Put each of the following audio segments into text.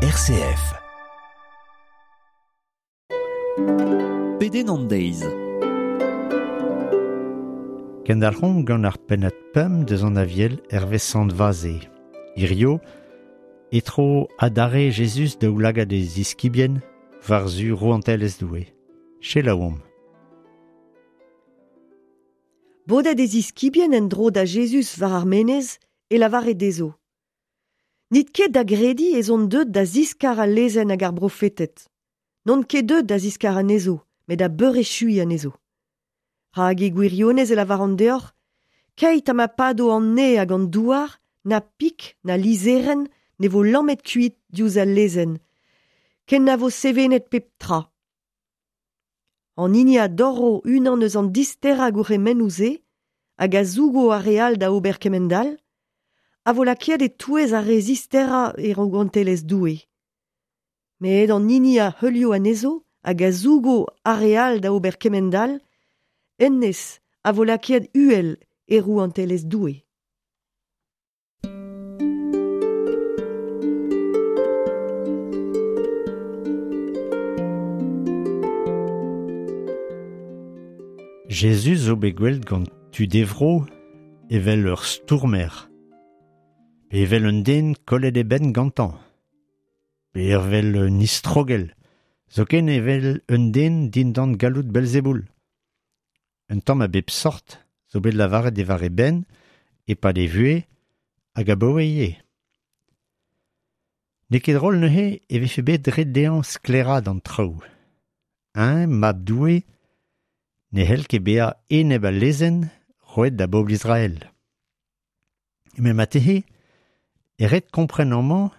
RCF. Pedenn an deiz. Kendalc'homp gant ar pennad pemp deus an aviel hervez Sant Vaze. Hirio, e-tro adarre Jezuz daoulagad e ziskibien war-zu rouantelezh Doue. Selaouomp. Bodet e ziskibien en-dro da Jezuz war ar menez e lavare dezho. N'it ket da grediñ ez on deuet da ziskar al lezenn hag ar brofeted. N'on ket deuet da ziskar anezho, met da beurechuiñ anezho. Rak e gwirionez e lavaran deoc'h, keit ha ma pado an neñv hag an douar, na pik na lizherenn ne vo lammet kuit diouzh al lezenn, ken na vo sevenet pep tra. An hini a dorro unan eus an disterañ gourc'hemennoù-se hag a zougo ar re all da ober kemend-all, a vo lakaet e-touez ar re zisterañ e rouantelezh Doue. Met an hini a heulio anezho hag a zougo ar re all da ober kemend-all, hennezh a vo lakaet uhel e rouantelezh Doue. Jezuz zo bet gwelet gant tud e vro evel ur stourmer, pe evel un den kollet e benn gantañ, pe evel un istrogell, zoken evel un den dindan galloud Belzeboul. Un tamm a bep sort zo bet lavaret diwar e benn e-pad e vuhez hag abaoe ivez. N'eo ket drol neuze e vefe bet ret dezhañ sklaeraat an traoù. Eñ, mab Doue, ne c'hell ket bezañ enep al lezenn roet da bobl Israel. Met marteze e ret kompren amañ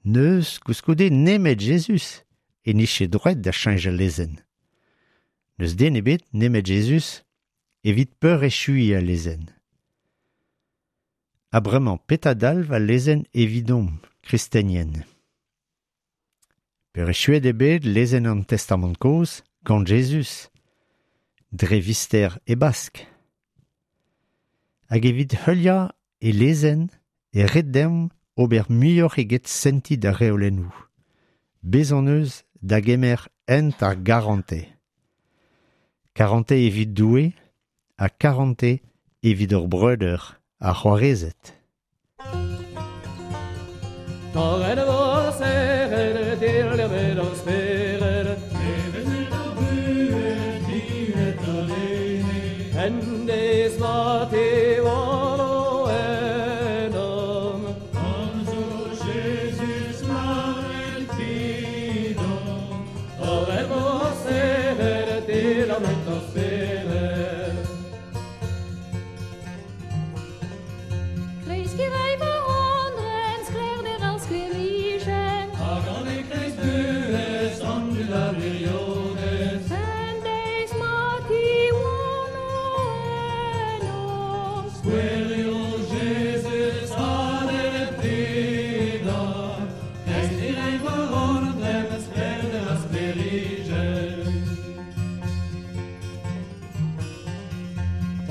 n'eus koulskoude nemet Jezuz e nije droed da cheñch al lezenn. N'eus den ebet nemet Jezuz evit peurechuiñ al lezenn. Ha bremañ petra dalv al lezenn evidomp, kristenien? Peurechuet eo bet lezenn an Testamant kozh gant Jezuz dre vister e Bask. Hag evit heuliañ e lezenn e ret deomp ober muioc'h eget sentiñ d'ar reolennoù. Bez' hon eus da gemer hent ar garantez. Karantez evit Doue ha karantez evit hor breudeur ha c'hoarezed. Torret e vo serret, dirlevet ar spered. Nevezet ar buhez, diret an ene. En deiz ma tiwano ennomp. Komzo Jezuz laret 'vidomp. Torret vo serret, dirlevet ar spered. Kreskiñ 'ray va andren, sklaerder ar sklêrijenn. Hag an e-kreiz buhez an dud a wirionez. En deiz ma tiwano ennomp. Skouerio Jezuz adet 'vidomp. Kreskiñ 'ray va andren, sklaerder ar sklêrijenn.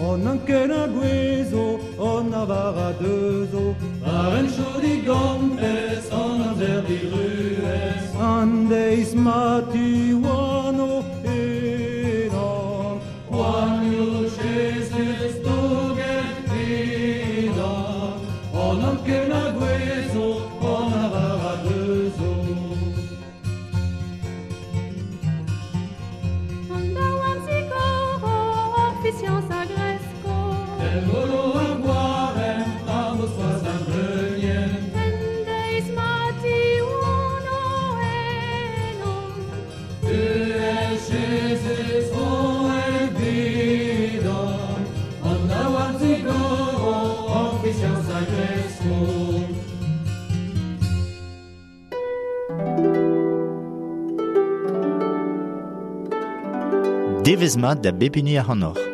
An anken a gouezho, an arvar a deuzo. War hentchoù digompez, an amzer diruez. An deiz ma tiwano ennomp. Poanioù Jezuz douget 'vidomp. An anken a gouezho, an arvar a deuzo. An daouarn zigoro, hor fiziañs a gresko. El golo ar gwaremm, ar mousc'hoarzh ar bleunienn. En deiz ma tiwano ennomp. Buhez Jezuz roet 'vidomp. An daouarn zigoro, hor fiziañs a gresko. Devezh mat da bep hini ac'hanoc'h.